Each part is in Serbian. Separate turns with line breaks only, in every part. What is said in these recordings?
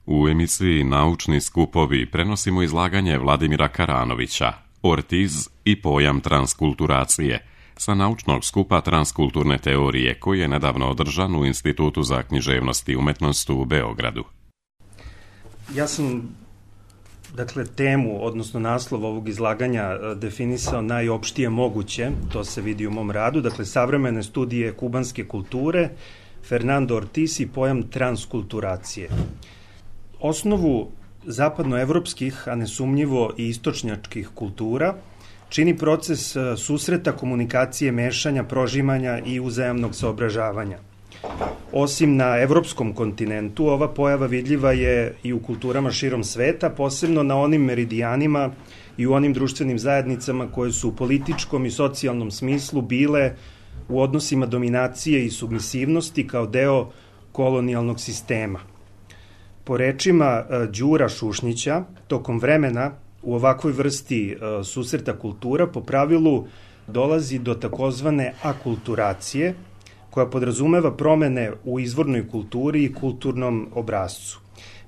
U emisiji Naučni skupovi prenosimo izlaganje Vladimira Karanovića, Ortiz i pojam transkulturacije, sa naučnog skupa transkulturne teorije koji je nedavno održan u Institutu za književnost i umetnost u Beogradu.
Ja sam, temu, odnosno naslov ovog izlaganja definisao najopštije moguće, to se vidi u mom radu, savremene studije kubanske kulture, Fernando Ortiz i pojam transkulturacije. Osnovu zapadnoevropskih, a nesumnjivo i istočnjačkih kultura, čini proces susreta, komunikacije, mešanja, prožimanja i uzajamnog saobražavanja. Osim na evropskom kontinentu, ova pojava vidljiva je i u kulturama širom sveta, posebno na onim meridijanima i u onim društvenim zajednicama koje su u političkom i socijalnom smislu bile u odnosima dominacije i submisivnosti kao deo kolonijalnog sistema. Po rečima Đura Šušnića, tokom vremena u ovakvoj vrsti susreta kultura po pravilu dolazi do takozvane akulturacije, koja podrazumeva promene u izvornoj kulturi i kulturnom obrascu.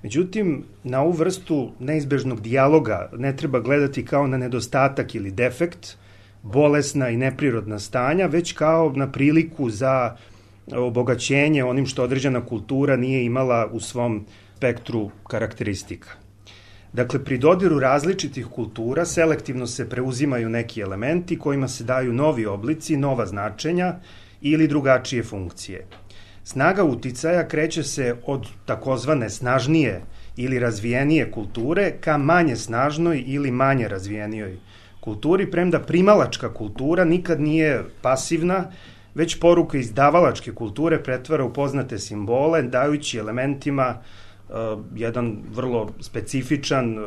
Međutim, na ovu vrstu neizbežnog dijaloga ne treba gledati kao na nedostatak ili defekt, bolesna i neprirodna stanja, već kao na priliku za obogaćenje onim što određena kultura nije imala u svom spektru karakteristika. Pri dodiru različitih kultura selektivno se preuzimaju neki elementi kojima se daju novi oblici, nova značenja ili drugačije funkcije. Snaga uticaja kreće se od takozvane snažnije ili razvijenije kulture ka manje snažnoj ili manje razvijenijoj kulturi, premda primalačka kultura nikad nije pasivna, već poruka iz davalačke kulture pretvara u poznate simbole, dajući elementima jedan vrlo specifičan,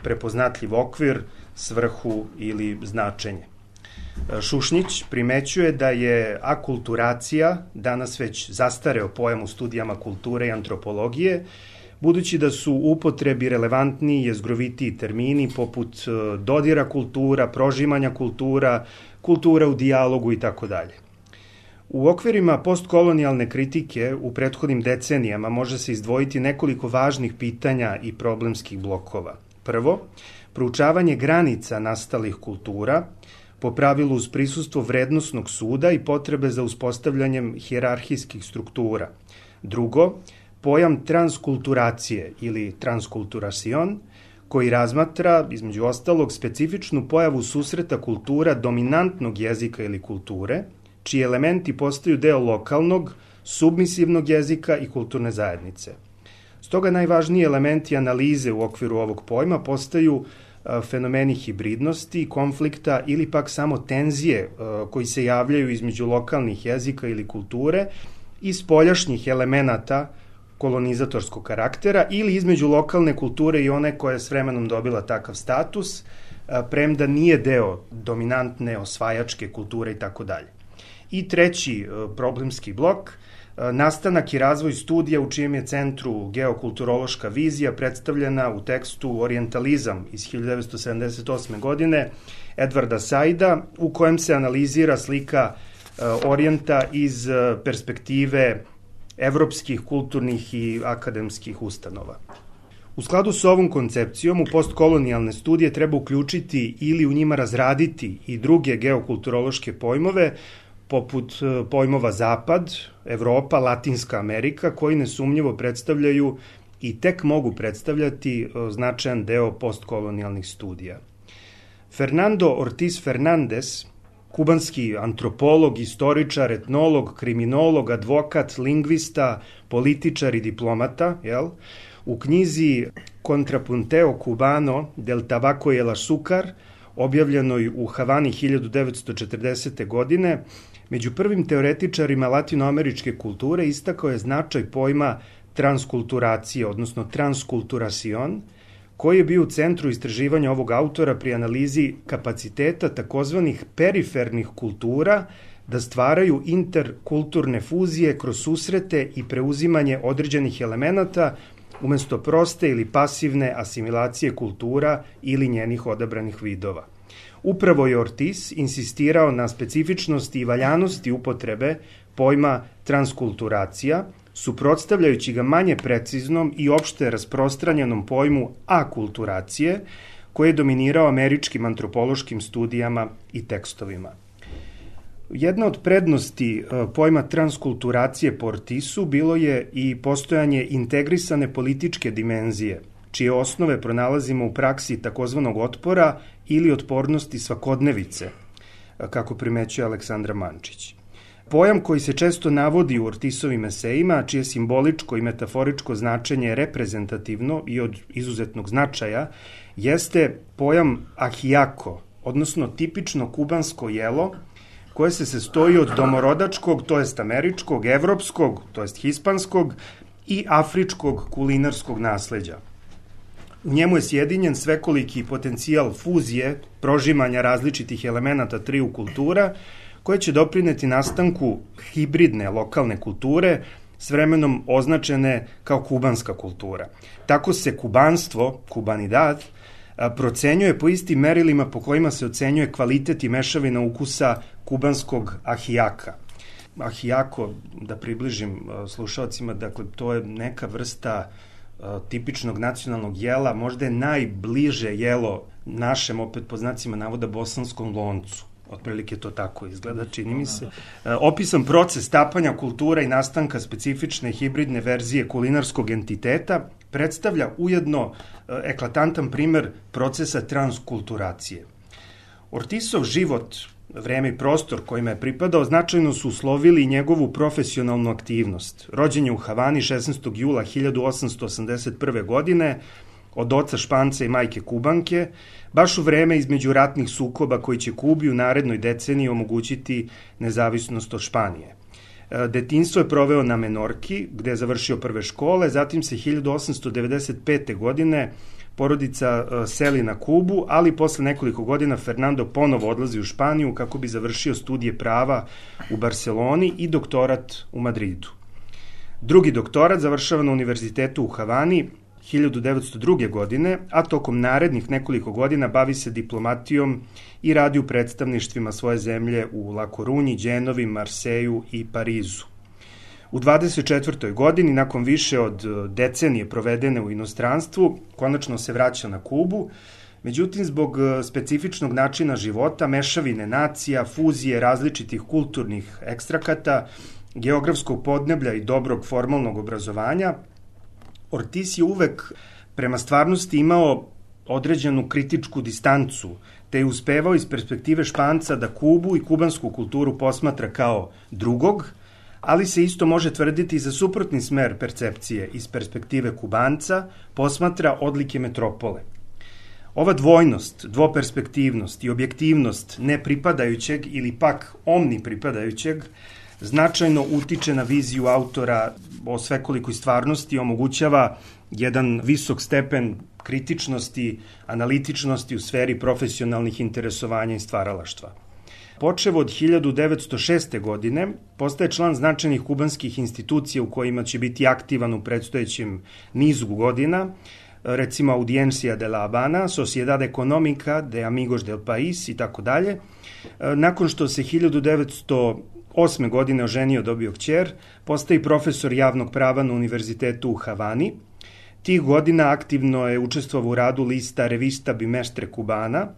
prepoznatljiv okvir, svrhu ili značenje. Šušnić primećuje da je akulturacija danas već zastareo pojam u studijama kulture i antropologije, budući da su u upotrebi relevantniji i jezgrovitiji termini poput dodira kultura, prožimanja kultura, kultura u dijalogu itd. U okvirima postkolonijalne kritike u prethodnim decenijama može se izdvojiti nekoliko važnih pitanja i problemskih blokova. Prvo, proučavanje granica nastalih kultura, po pravilu uz prisustvo vrednosnog suda i potrebe za uspostavljanjem hijerarhijskih struktura. Drugo, pojam transkulturacije ili transkulturacion, koji razmatra, između ostalog, specifičnu pojavu susreta kultura dominantnog jezika ili kulture, čiji elementi postaju deo lokalnog, submisivnog jezika i kulturne zajednice. Stoga najvažniji elementi analize u okviru ovog pojma postaju fenomeni hibridnosti, konflikta ili pak samo tenzije koji se javljaju između lokalnih jezika ili kulture i spoljašnjih elemenata kolonizatorskog karaktera ili između lokalne kulture i one koja je s vremenom dobila takav status, premda nije deo dominantne osvajačke kulture itd. I treći problemski blok, nastanak i razvoj studija u čijem je centru geokulturološka vizija predstavljena u tekstu Orijentalizam iz 1978. godine Edvarda Saida, u kojem se analizira slika Orijenta iz perspektive evropskih kulturnih i akademskih ustanova. U skladu sa ovom koncepcijom u postkolonijalne studije treba uključiti ili u njima razraditi i druge geokulturološke pojmove, poput pojmova Zapad, Evropa, Latinska Amerika, koji nesumnjivo predstavljaju i tek mogu predstavljati značajan deo postkolonijalnih studija. Fernando Ortiz Fernandez, kubanski antropolog, istoričar, etnolog, kriminolog, advokat, lingvista, političar i diplomata, u knjizi Contrapunteo Cubano del Tabaco y el Azúcar, objavljenoj u Havani 1940. godine, među prvim teoretičarima latinoameričke kulture istakao je značaj pojma transkulturacije, odnosno transkulturacion, koji je bio u centru istraživanja ovog autora pri analizi kapaciteta takozvanih perifernih kultura da stvaraju interkulturne fuzije kroz susrete i preuzimanje određenih elemenata umesto proste ili pasivne asimilacije kultura ili njenih odabranih vidova. Upravo je Ortiz insistirao na specifičnosti i valjanosti upotrebe pojma transkulturacija suprotstavljajući ga manje preciznom i opšte rasprostranjenom pojmu akulturacije, koji je dominirao američkim antropološkim studijama i tekstovima. Jedna od prednosti pojma transkulturacije po Ortizu bilo je i postojanje integrisane političke dimenzije, čije osnove pronalazimo u praksi takozvanog otpora ili otpornosti svakodnevice, kako primećuje Aleksandra Mančić. Pojam koji se često navodi u Ortizovim esejima, čije simboličko i metaforičko značenje je reprezentativno i od izuzetnog značaja, jeste pojam ahiako, odnosno tipično kubansko jelo, koje se sastoji od domorodačkog, to jest američkog, evropskog, to jest hispanskog i afričkog kulinarskog nasleđa. U njemu je sjedinjen svekoliki potencijal fuzije, prožimanja različitih elemenata triju kultura, koje će doprineti nastanku hibridne lokalne kulture, s vremenom označene kao kubanska kultura. Tako se kubanstvo, kubanidad, procenjuje po istim merilima po kojima se ocenjuje kvalitet i mešavina ukusa kubanskog ahijaka. Ahijako, da približim slušalcima, dakle, to je neka vrsta tipičnog nacionalnog jela, možda je najbliže jelo našem, opet po znacima navoda, bosanskom loncu. Otprilike to tako izgleda, čini mi se. Opisan proces stapanja kultura i nastanka specifične hibridne verzije kulinarskog entiteta predstavlja ujedno eklatantan primer procesa transkulturacije. Ortizov život, vreme i prostor kojima je pripadao, značajno su uslovili njegovu profesionalnu aktivnost. Rođen je u Havani 16. jula 1881. godine, od oca Španca i majke Kubanke, baš u vreme između ratnih sukoba koji će Kubi u narednoj deceniji omogućiti nezavisnost od Španije. Detinjstvo je proveo na Menorki, gde je završio prve škole, zatim se 1895. godine porodica seli na Kubu, ali posle nekoliko godina Fernando ponovo odlazi u Španiju kako bi završio studije prava u Barceloni i doktorat u Madridu. Drugi doktorat završava na univerzitetu u Havani 1902. godine, a tokom narednih nekoliko godina bavi se diplomatijom i radi u predstavništvima svoje zemlje u La Corunji, Đenovi, Marseju i Parizu. U 24. godini, nakon više od decenije provedene u inostranstvu, konačno se vraća na Kubu, međutim, zbog specifičnog načina života, mešavine nacija, fuzije različitih kulturnih ekstrakata, geografskog podneblja i dobrog formalnog obrazovanja, Ortiz je uvek prema stvarnosti imao određenu kritičku distancu, te je uspevao iz perspektive Španca da Kubu i kubansku kulturu posmatra kao drugog, ali se isto može tvrditi za suprotni smer percepcije iz perspektive Kubanca posmatra odlike metropole. Ova dvojnost, dvoperspektivnost i objektivnost nepripadajućeg ili pak omnipripadajućeg značajno utiče na viziju autora o svekolikoj stvarnosti i omogućava jedan visok stepen kritičnosti, analitičnosti u sferi profesionalnih interesovanja i stvaralaštva. Počev od 1906. godine postaje član značajnih kubanskih institucija u kojima će biti aktivan u predstojećem nizu godina, recimo Audiencia de la Habana, Sociedad Económica de Amigos del País i tako dalje. Nakon što se 1908. godine oženio, dobio kćer, postaje profesor javnog prava na univerzitetu u Havani. Tih godina aktivno je učestvovao u radu lista Revista Bimestre Cubana,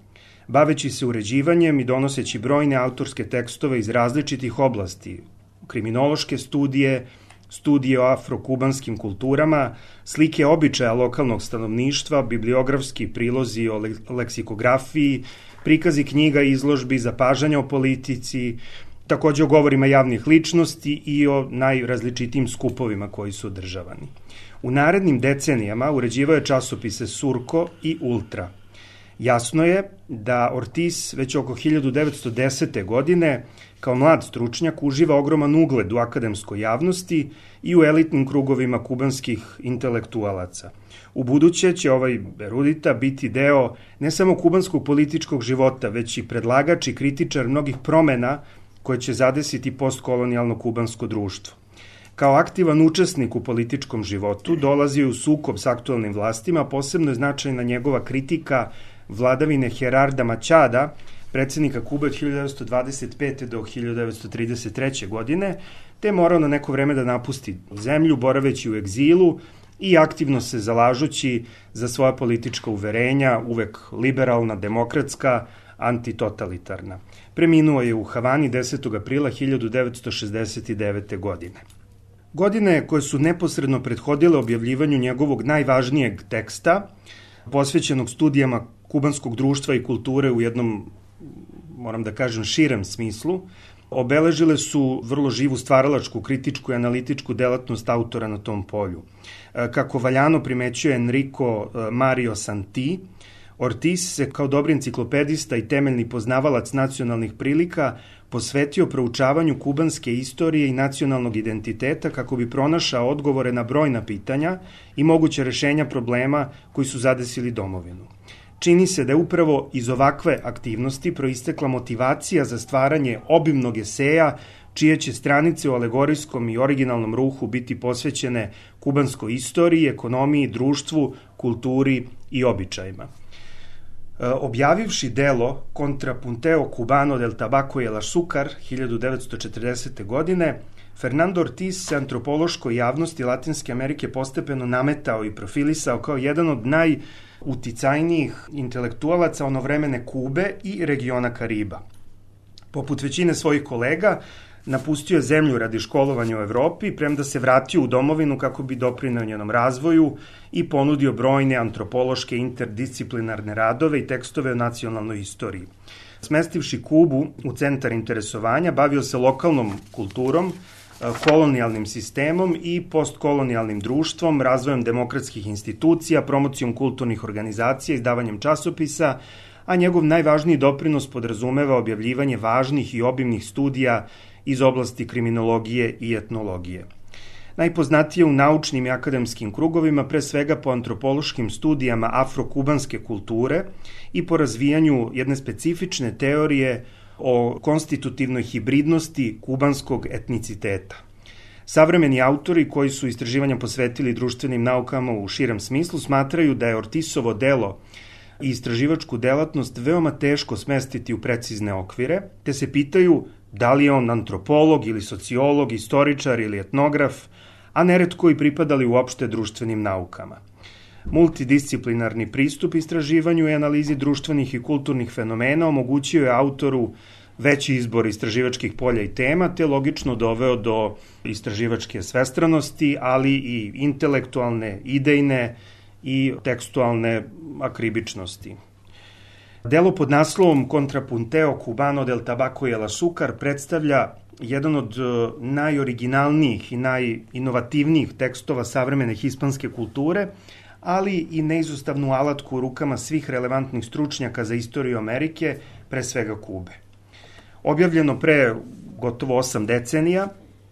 baveći se uređivanjem i donoseći brojne autorske tekstove iz različitih oblasti, kriminološke studije, studije o afro-kubanskim kulturama, slike običaja lokalnog stanovništva, bibliografski prilozi o leksikografiji, prikazi knjiga i izložbi, zapažanja o politici, takođe o govorima javnih ličnosti i o najrazličitijim skupovima koji su održavani. U narednim decenijama uređivao je časopise Surko i Ultra. Jasno je da Ortiz već oko 1910. godine kao mlad stručnjak uživa ogroman ugled u akademskoj javnosti i u elitnim krugovima kubanskih intelektualaca. U buduće će ovaj erudita biti deo ne samo kubanskog političkog života, već i predlagač i kritičar mnogih promena koje će zadesiti postkolonijalno kubansko društvo. Kao aktivan učesnik u političkom životu dolazio u sukob s aktualnim vlastima, posebno je značajna njegova kritika vladavine Gerarda Machada, predsednika Kube od 1925. do 1933. godine, te je morao na neko vreme da napusti zemlju, boraveći u egzilu i aktivno se zalažući za svoja politička uverenja, uvek liberalna, demokratska, antitotalitarna. Preminuo je u Havani 10. aprila 1969. godine. Godine koje su neposredno prethodile objavljivanju njegovog najvažnijeg teksta, posvećenog studijama kubanskog društva i kulture u jednom, moram da kažem, širem smislu, obeležile su vrlo živu stvaralačku, kritičku i analitičku delatnost autora na tom polju. Kako valjano primećuje Enrico Mario Santi, Ortiz se kao dobri enciklopedista i temeljni poznavalac nacionalnih prilika posvetio proučavanju kubanske istorije i nacionalnog identiteta kako bi pronašao odgovore na brojna pitanja i moguće rešenja problema koji su zadesili domovinu. Čini se da je upravo iz ovakve aktivnosti proistekla motivacija za stvaranje obimnog eseja čije će stranice u alegorijskom i originalnom ruhu biti posvećene kubanskoj istoriji, ekonomiji, društvu, kulturi i običajima. Objavivši delo Contrapunteo Cubano del Tabaco y el Azúcar 1940. godine, Fernando Ortiz se antropološkoj javnosti Latinske Amerike postepeno nametao i profilisao kao jedan od najuticajnijih intelektualaca onovremene Kube i regiona Kariba. Poput većine svojih kolega, napustio je zemlju radi školovanja u Evropi, premda se vratio u domovinu kako bi doprineo njenom razvoju i ponudio brojne antropološke interdisciplinarne radove i tekstove o nacionalnoj istoriji. Smestivši Kubu u centar interesovanja, bavio se lokalnom kulturom, kolonijalnim sistemom i postkolonijalnim društvom, razvojem demokratskih institucija, promocijom kulturnih organizacija, izdavanjem časopisa, a njegov najvažniji doprinos podrazumeva objavljivanje važnih i obimnih studija iz oblasti kriminologije i etnologije. Najpoznatije u naučnim i akademskim krugovima, pre svega po antropološkim studijama afro-kubanske kulture i po razvijanju jedne specifične teorije o konstitutivnoj hibridnosti kubanskog etniciteta. Savremeni autori koji su istraživanja posvetili društvenim naukama u širem smislu smatraju da je Ortizovo delo i istraživačku delatnost veoma teško smestiti u precizne okvire, te se pitaju da li je on antropolog ili sociolog, istoričar ili etnograf, a neretko i pripadali uopšte društvenim naukama. Multidisciplinarni pristup istraživanju i analizi društvenih i kulturnih fenomena omogućio je autoru veći izbor istraživačkih polja i tema, te logično doveo do istraživačke svestranosti, ali i intelektualne, idejne i tekstualne akribičnosti. Delo pod naslovom Contrapunteo Cubano del Tabaco y el Azúcar predstavlja jedan od najoriginalnijih i najinovativnijih tekstova savremene hispanske kulture, ali i neizostavnu alatku u rukama svih relevantnih stručnjaka za istoriju Amerike, pre svega Kube. Objavljeno pre gotovo 8 decenija,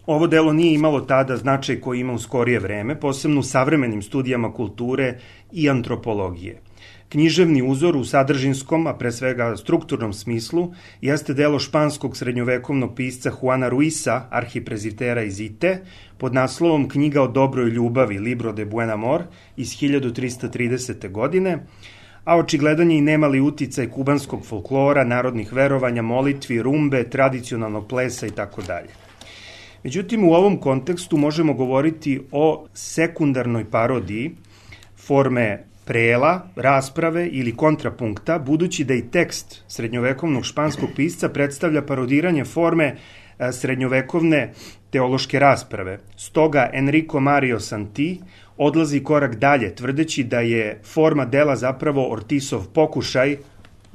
ovo delo nije imalo tada značaj koji ima u skorije vreme, posebno u savremenim studijama kulture i antropologije. Književni uzor u sadržinskom, a pre svega strukturnom smislu, jeste delo španskog srednjovekovnog pisca Juana Ruisa, arhiprezitera iz Ite, pod naslovom Knjiga o dobroj ljubavi, Libro de Buen Amor, iz 1330. godine, a očigledan je i nemali uticaj kubanskog folklora, narodnih verovanja, molitvi, rumbe, tradicionalnog plesa itd. Međutim, u ovom kontekstu možemo govoriti o sekundarnoj parodiji forme prela, rasprave ili kontrapunkta, budući da i tekst srednjovekovnog španskog pisca predstavlja parodiranje forme srednjovekovne teološke rasprave. Stoga Enrico Mario Santi odlazi korak dalje, tvrdeći da je forma dela zapravo Ortizov pokušaj,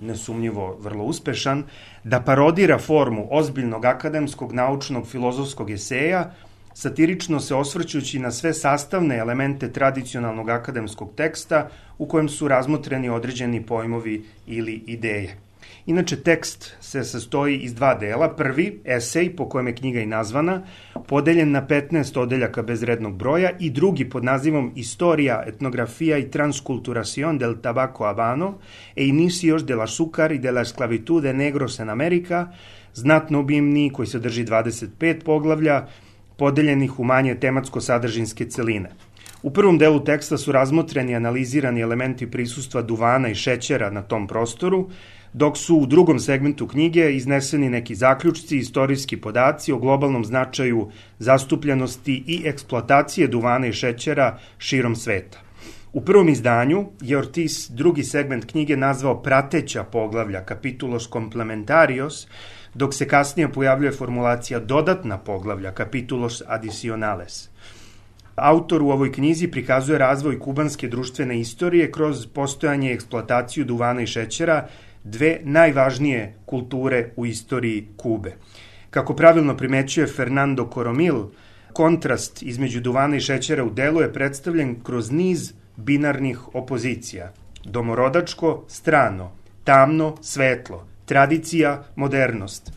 nesumnjivo vrlo uspešan, da parodira formu ozbiljnog akademskog, naučnog, filozofskog eseja, satirično se osvrćući na sve sastavne elemente tradicionalnog akademskog teksta u kojem su razmotreni određeni pojmovi ili ideje. Inače, tekst se sastoji iz dva dela. Prvi, esej, po kojem je knjiga i nazvana, podeljen na 15 odeljaka bez rednog broja, i drugi pod nazivom Historia, etnografia i transculturación del tabaco habano e inicios del azúcar y de la esclavitud de negros en America, znatno obimniji, koji sadrži 25 poglavlja, podeljenih u manje tematsko-sadržinske celine. U prvom delu teksta su razmotreni i analizirani elementi prisustva duvana i šećera na tom prostoru, dok su u drugom segmentu knjige izneseni neki zaključci, istorijski podaci o globalnom značaju zastupljenosti i eksploatacije duvana i šećera širom sveta. U prvom izdanju je Ortiz drugi segment knjige nazvao prateća poglavlja, capítulos complementarios, dok se kasnije pojavljuje formulacija dodatna poglavlja, capítulos adicionales. Autor u ovoj knjizi prikazuje razvoj kubanske društvene istorije kroz postojanje i eksploataciju duvana i šećera, dve najvažnije kulture u istoriji Kube. Kako pravilno primećuje Fernando Coromil, kontrast između duvana i šećera u delu je predstavljen kroz niz binarnih opozicija. Domorodačko, strano, tamno, svetlo, tradicija, modernost,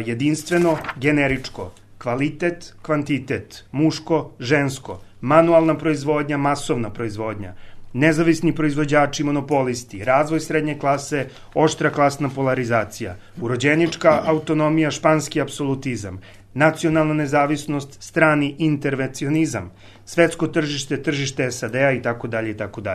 jedinstveno, generičko, kvalitet, kvantitet, muško, žensko, manualna proizvodnja, masovna proizvodnja, nezavisni proizvođači, monopolisti, razvoj srednje klase, oštra klasna polarizacija, urođenička autonomija, španski apsolutizam, nacionalna nezavisnost, strani intervencionizam, svetsko tržište, tržište SAD-a itd. itd.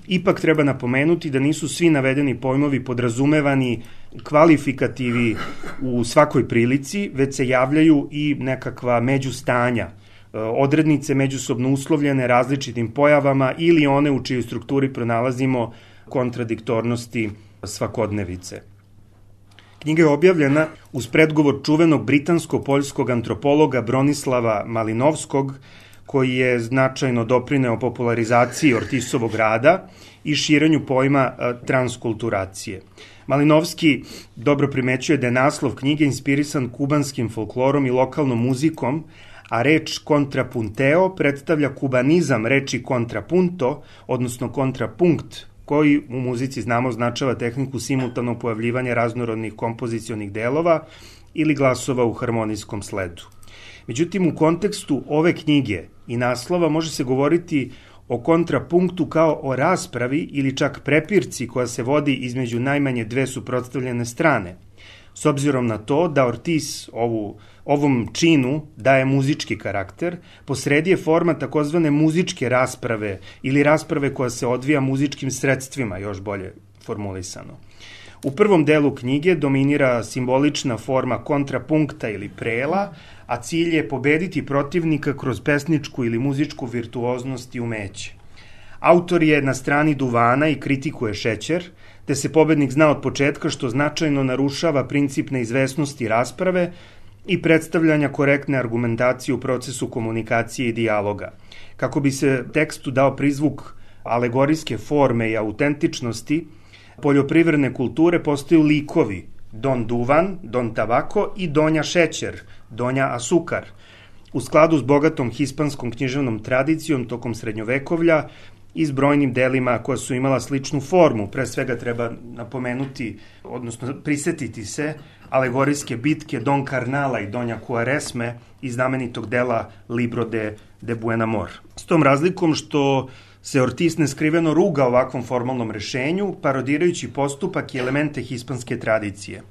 Ipak treba napomenuti da nisu svi navedeni pojmovi podrazumevani kvalifikativi u svakoj prilici, već se javljaju i nekakva međustanja, odrednice međusobno uslovljene različitim pojavama ili one u čijoj strukturi pronalazimo kontradiktornosti svakodnevice. Knjiga je objavljena uz predgovor čuvenog britansko-poljskog antropologa Bronislava Malinovskog, koji je značajno doprineo popularizaciji Ortisovog rada i širenju pojma transkulturacije. Malinovski dobro primećuje da je naslov knjige inspirisan kubanskim folklorom i lokalnom muzikom, a reč kontrapunteo predstavlja kubanizam reči kontrapunto, odnosno kontrapunkt, koji u muzici znamo označava tehniku simultanog pojavljivanja raznorodnih kompozicionih delova ili glasova u harmonijskom sledu. Međutim, u kontekstu ove knjige i naslova može se govoriti o kontrapunktu kao o raspravi ili čak prepirci koja se vodi između najmanje dve suprotstavljene strane. S obzirom na to da Ortiz ovom činu daje muzički karakter, posredi je forma takozvane muzičke rasprave ili rasprave koja se odvija muzičkim sredstvima, još bolje formulisano. U prvom delu knjige dominira simbolična forma kontrapunkta ili prela, a cilj je pobediti protivnika kroz pesničku ili muzičku virtuoznost i umeće. Autor je na strani duvana i kritikuje šećer, te se pobednik zna od početka što značajno narušava princip neizvesnosti rasprave i predstavljanja korektne argumentacije u procesu komunikacije i dijaloga. Kako bi se tekstu dao prizvuk alegorijske forme i autentičnosti, poljoprivredne kulture postaju likovi Don Duvan, Don Tabako i Donja Šećer, Donja Asukar. U skladu s bogatom hispanskom književnom tradicijom tokom srednjovekovlja i s brojnim delima koja su imala sličnu formu. Pre svega treba napomenuti, odnosno prisetiti se alegorijske bitke Don Karnala i Donja Kuaresme iz znamenitog dela Libro de Buen Amor. S tom razlikom što se Ortiz neskriveno ruga ovakvom formalnom rešenju, parodirajući postupak i elemente hispanske tradicije.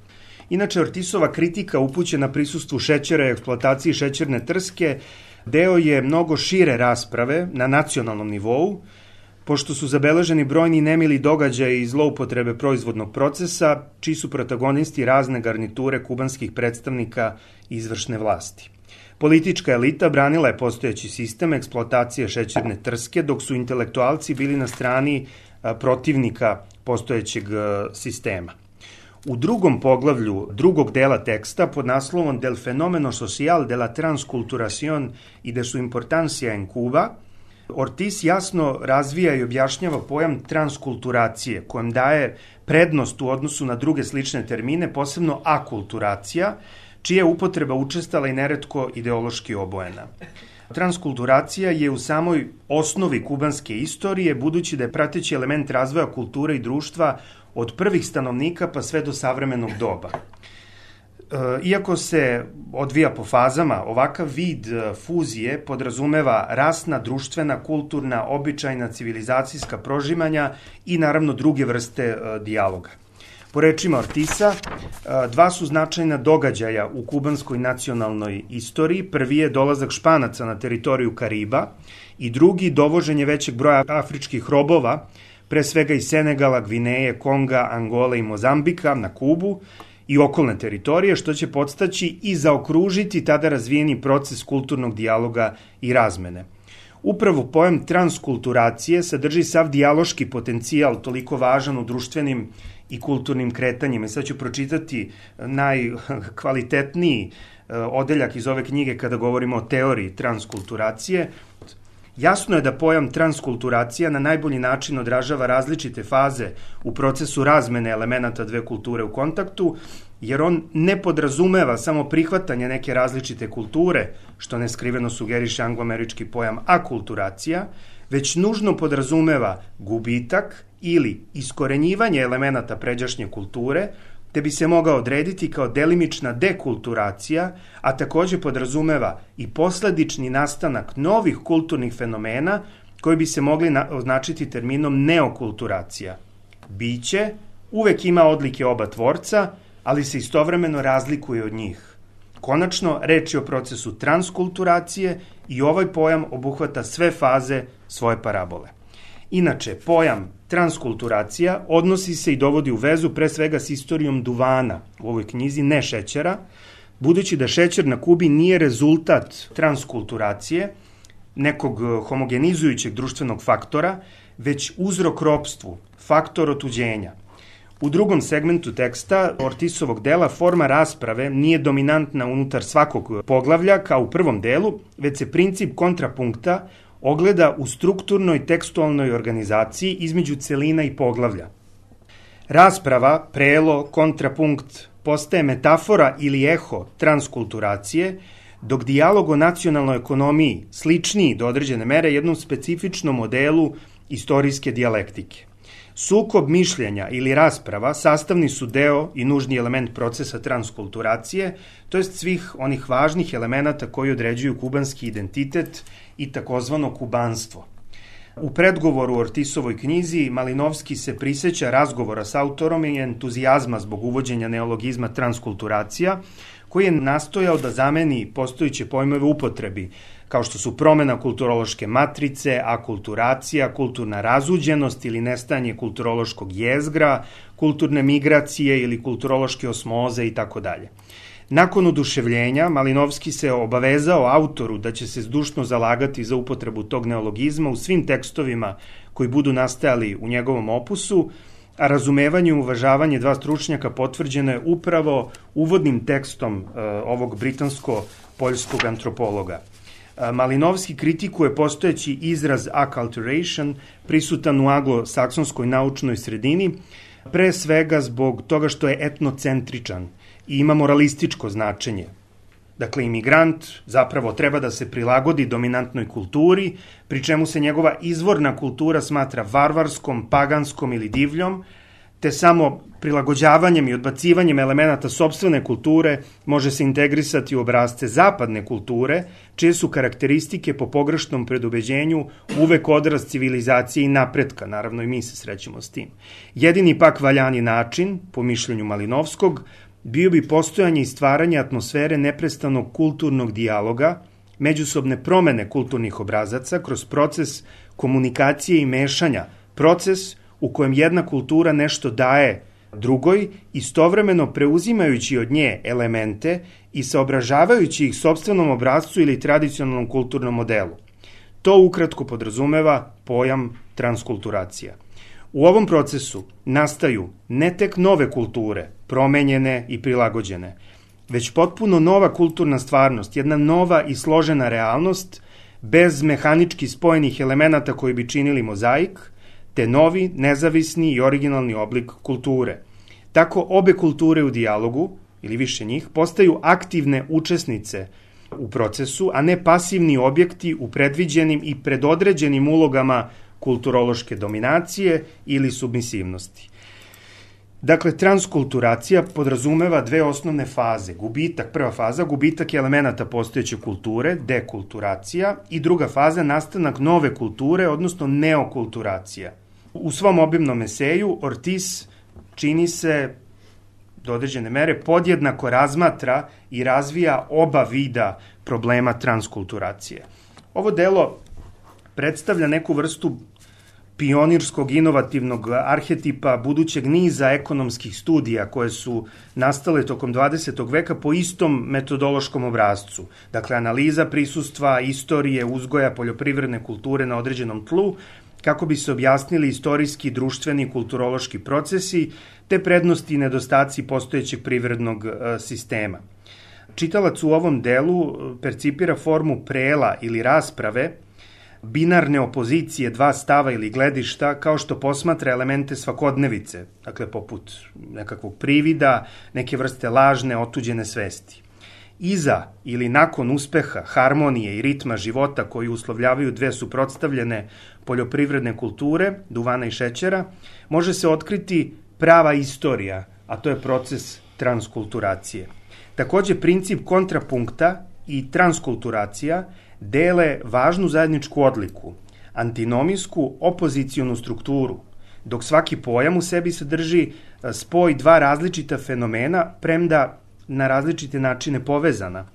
Inače, Ortizova kritika upućena prisustvu šećera i eksploataciji šećerne trske deo je mnogo šire rasprave na nacionalnom nivou, pošto su zabeleženi brojni nemili događaji i zloupotrebe proizvodnog procesa, čiji su protagonisti razne garniture kubanskih predstavnika izvršne vlasti. Politička elita branila je postojeći sistem eksploatacije šećerne trske, dok su intelektualci bili na strani protivnika postojećeg sistema. U drugom poglavlju drugog dela teksta pod naslovom Del fenomeno social de la transculturación y de su importancia en Cuba, Ortiz jasno razvija i objašnjava pojam transkulturacije, kojem daje prednost u odnosu na druge slične termine, posebno akulturacija, čija je upotreba učestala i neretko ideološki obojena. Transkulturacija je u samoj osnovi kubanske istorije, budući da je prateći element razvoja kulture i društva od prvih stanovnika pa sve do savremenog doba. Iako se odvija po fazama, ovakav vid fuzije podrazumeva rasna, društvena, kulturna, običajna, civilizacijska prožimanja i naravno druge vrste dijaloga. Po rečima Ortiza, dva su značajna događaja u kubanskoj nacionalnoj istoriji. Prvi je dolazak Španaca na teritoriju Kariba i drugi dovoženje većeg broja afričkih robova pre svega iz Senegala, Gvineje, Konga, Angole i Mozambika na Kubu i okolne teritorije, što će podstaći i zaokružiti tada razvijeni proces kulturnog dijaloga i razmene. Upravo pojam transkulturacije sadrži sav dijaloški potencijal toliko važan u društvenim i kulturnim kretanjima. I sad ću pročitati najkvalitetniji odeljak iz ove knjige kada govorimo o teoriji transkulturacije. Jasno je da pojam transkulturacija na najbolji način odražava različite faze u procesu razmene elemenata dve kulture u kontaktu, jer on ne podrazumeva samo prihvatanje neke različite kulture, što neskriveno sugeriše angloamerički pojam akulturacija, već nužno podrazumeva gubitak ili iskorenjivanje elemenata pređašnje kulture, te bi se mogao odrediti kao delimična dekulturacija, a takođe podrazumeva i posledični nastanak novih kulturnih fenomena koji bi se mogli označiti terminom neokulturacija. Biće uvek ima odlike oba tvorca, ali se istovremeno razlikuje od njih. Konačno, reč je o procesu transkulturacije i ovaj pojam obuhvata sve faze svoje parabole. Inače, pojam transkulturacija odnosi se i dovodi u vezu pre svega s istorijom duvana u ovoj knjizi, ne šećera, budući da šećer na Kubi nije rezultat transkulturacije, nekog homogenizujućeg društvenog faktora, već uzrok ropstvu, faktor otuđenja. U drugom segmentu teksta Ortisovog dela forma rasprave nije dominantna unutar svakog poglavlja kao u prvom delu, već se princip kontrapunkta ogleda u strukturnoj tekstualnoj organizaciji između celina i poglavlja. Rasprava, prelo, kontrapunkt postaje metafora ili eho transkulturacije, dok dijalog o nacionalnoj ekonomiji sličniji do određene mere jednom specifičnom modelu istorijske dijalektike. Sukob mišljenja ili rasprava sastavni su deo i nužni element procesa transkulturacije, to jest svih onih važnih elemenata koji određuju kubanski identitet i takozvano kubanstvo. U predgovoru Ortisovoj knjizi Malinovski se priseća razgovora s autorom i entuzijazma zbog uvođenja neologizma transkulturacija, koji je nastojao da zameni postojeće pojmove upotrebi, kao što su promena kulturološke matrice, akulturacija, kulturna razuđenost ili nestajanje kulturološkog jezgra, kulturne migracije ili kulturološke osmoze itd. Nakon oduševljenja, Malinovski se obavezao autoru da će se zdušno zalagati za upotrebu tog neologizma u svim tekstovima koji budu nastajali u njegovom opusu, a razumevanje i uvažavanje dva stručnjaka potvrđeno je upravo uvodnim tekstom ovog britansko-poljskog antropologa. Malinovski kritikuje postojeći izraz acculturation prisutan u anglosaksonskoj naučnoj sredini, pre svega zbog toga što je etnocentričan i ima moralističko značenje. Dakle, imigrant zapravo treba da se prilagodi dominantnoj kulturi, pri čemu se njegova izvorna kultura smatra varvarskom, paganskom ili divljom, te samo prilagođavanjem i odbacivanjem elemenata sopstvene kulture može se integrisati u obrasce zapadne kulture, čije su karakteristike po pogrešnom predubeđenju uvek odraz civilizacije i napretka, naravno i mi se srećemo s tim. Jedini pak valjani način, po mišljenju Malinovskog, bio bi postojanje i stvaranje atmosfere neprestanog kulturnog dijaloga, međusobne promene kulturnih obrazaca kroz proces komunikacije i mešanja, proces u kojem jedna kultura nešto daje drugoj, istovremeno preuzimajući od nje elemente i saobražavajući ih sopstvenom obrazcu ili tradicionalnom kulturnom modelu. To ukratko podrazumeva pojam transkulturacija. U ovom procesu nastaju ne tek nove kulture, promenjene i prilagođene, već potpuno nova kulturna stvarnost, jedna nova i složena realnost, bez mehanički spojenih elemenata koji bi činili mozaik, te novi, nezavisni i originalni oblik kulture. Tako obe kulture u dijalogu, ili više njih, postaju aktivne učesnice u procesu, a ne pasivni objekti u predviđenim i predodređenim ulogama kulturološke dominacije ili submisivnosti. Dakle, transkulturacija podrazumeva dve osnovne faze. Prva faza, gubitak elemenata postojeće kulture, dekulturacija, i druga faza, nastanak nove kulture, odnosno neokulturacija. U svom obimnom eseju Ortiz čini se do određene mere podjednako razmatra i razvija oba vida problema transkulturacije. Ovo delo predstavlja neku vrstu pionirskog inovativnog arhetipa budućeg niza ekonomskih studija koje su nastale tokom 20. veka po istom metodološkom obrascu. Dakle, analiza prisustva, istorije, uzgoja, poljoprivredne kulture na određenom tlu, kako bi se objasnili istorijski, društveni i kulturološki procesi, te prednosti i nedostaci postojećeg privrednog sistema. Čitalac u ovom delu percipira formu prela ili rasprave, binarne opozicije dva stava ili gledišta, kao što posmatra elemente svakodnevice, dakle poput nekakvog privida, neke vrste lažne, otuđene svesti. Iza ili nakon uspeha, harmonije i ritma života koji uslovljavaju dve suprotstavljene poljoprivredne kulture, duvana i šećera, može se otkriti prava istorija, a to je proces transkulturacije. Takođe, princip kontrapunkta i transkulturacija dele važnu zajedničku odliku, antinomijsku opozicionu strukturu, dok svaki pojam u sebi sadrži spoj dva različita fenomena, premda na različite načine povezana.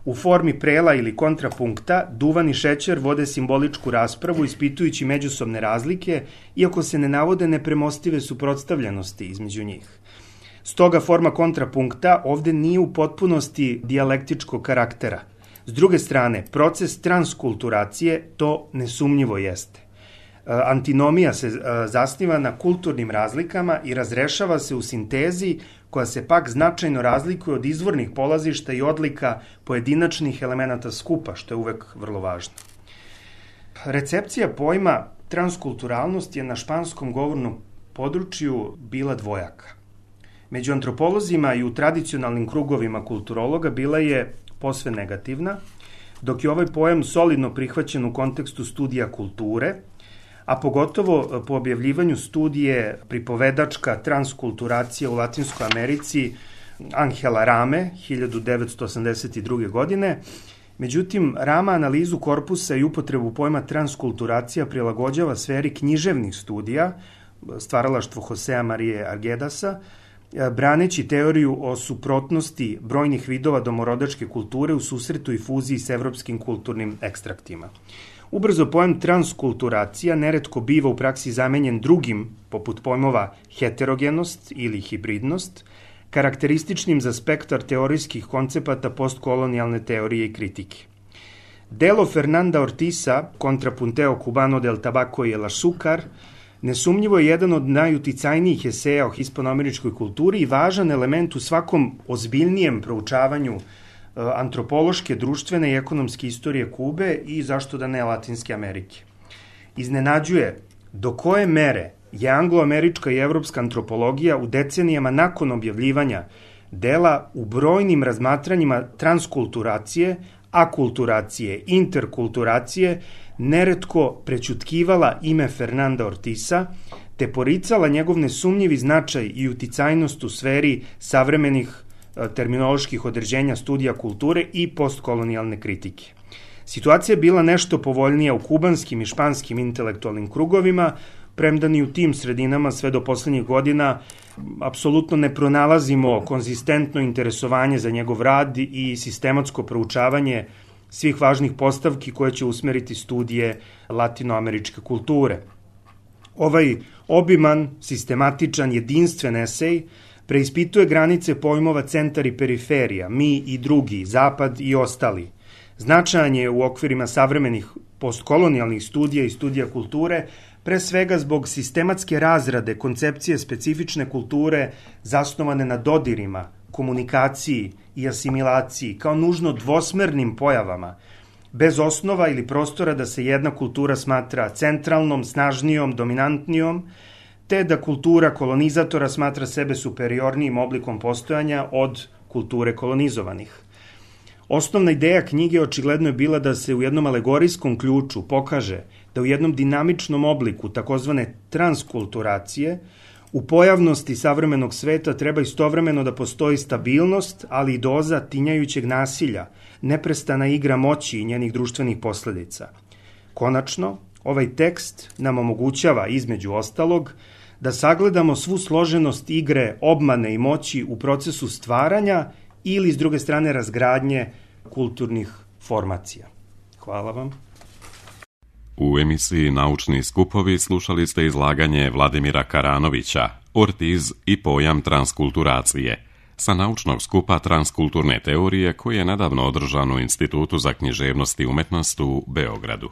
U formi prela ili kontrapunkta, duvan i šećer vode simboličku raspravu ispitujući međusobne razlike, iako se ne navode nepremostive suprotstavljenosti između njih. Stoga forma kontrapunkta ovde nije u potpunosti dijalektičkog karaktera. S druge strane, proces transkulturacije to nesumnjivo jeste. Antinomija se zasniva na kulturnim razlikama i razrešava se u sintezi koja se pak značajno razlikuje od izvornih polazišta i odlika pojedinačnih elemenata skupa, što je uvek vrlo važno. Recepcija pojma transkulturalnost je na španskom govornom području bila dvojaka. Među antropolozima i u tradicionalnim krugovima kulturologa bila je posve negativna, dok je ovaj pojam solidno prihvaćen u kontekstu studija kulture, a pogotovo po objavljivanju studije pripovedačka transkulturacija u Latinskoj Americi Angela Rame 1982. godine. Međutim, Rama analizu korpusa i upotrebu pojma transkulturacija prilagođava sferi književnih studija, stvaralaštvo Josea Marije Arguedasa, braneći teoriju o suprotnosti brojnih vidova domorodačke kulture u susretu i fuziji s evropskim kulturnim ekstraktima. Ubrzo pojam transkulturacija neretko biva u praksi zamenjen drugim, poput pojmova heterogenost ili hibridnost, karakterističnim za spektar teorijskih koncepata postkolonijalne teorije i kritike. Delo Fernanda Ortiza, Contrapunteo cubano del tabaco y el azúcar, nesumnjivo je jedan od najuticajnijih eseja o hispanoameričkoj kulturi i važan element u svakom ozbiljnijem proučavanju antropološke, društvene i ekonomske istorije Kube i zašto da ne Latinske Amerike. Iznenađuje do koje mere je angloamerička i evropska antropologija u decenijama nakon objavljivanja dela u brojnim razmatranjima transkulturacije, akulturacije, interkulturacije neretko prećutkivala ime Fernanda Ortiza, te poricala njegov nesumnjivi značaj i uticajnost u sferi savremenih terminoloških određenja studija kulture i postkolonijalne kritike. Situacija je bila nešto povoljnija u kubanskim i španskim intelektualnim krugovima, premda ni u tim sredinama sve do poslednjih godina apsolutno ne pronalazimo konzistentno interesovanje za njegov rad i sistematsko proučavanje svih važnih postavki koje će usmeriti studije latinoameričke kulture. Ovaj obiman, sistematičan, jedinstven esej preispituje granice pojmova centar i periferija, mi i drugi, zapad i ostali. Značajan je u okvirima savremenih postkolonijalnih studija i studija kulture, pre svega zbog sistematske razrade koncepcije specifične kulture zasnovane na dodirima, komunikaciji i asimilaciji kao nužno dvosmernim pojavama, bez osnova ili prostora da se jedna kultura smatra centralnom, snažnijom, dominantnijom, te da kultura kolonizatora smatra sebe superiornijim oblikom postojanja od kulture kolonizovanih. Osnovna ideja knjige očigledno je bila da se u jednom alegorijskom ključu pokaže da u jednom dinamičnom obliku takozvane transkulturacije u pojavnosti savremenog sveta treba istovremeno da postoji stabilnost, ali i doza tinjajućeg nasilja, neprestana igra moći i njenih društvenih posledica. Konačno, ovaj tekst nam omogućava, između ostalog, da sagledamo svu složenost igre, obmane i moći u procesu stvaranja ili, s druge strane, razgradnje kulturnih formacija. Hvala vam.
U emisiji Naučni skupovi slušali ste izlaganje Vladimira Karanovića, Ortiz i pojam transkulturacije, sa naučnog skupa transkulturne teorije koji je nedavno održan u Institutu za književnost i umetnost u Beogradu.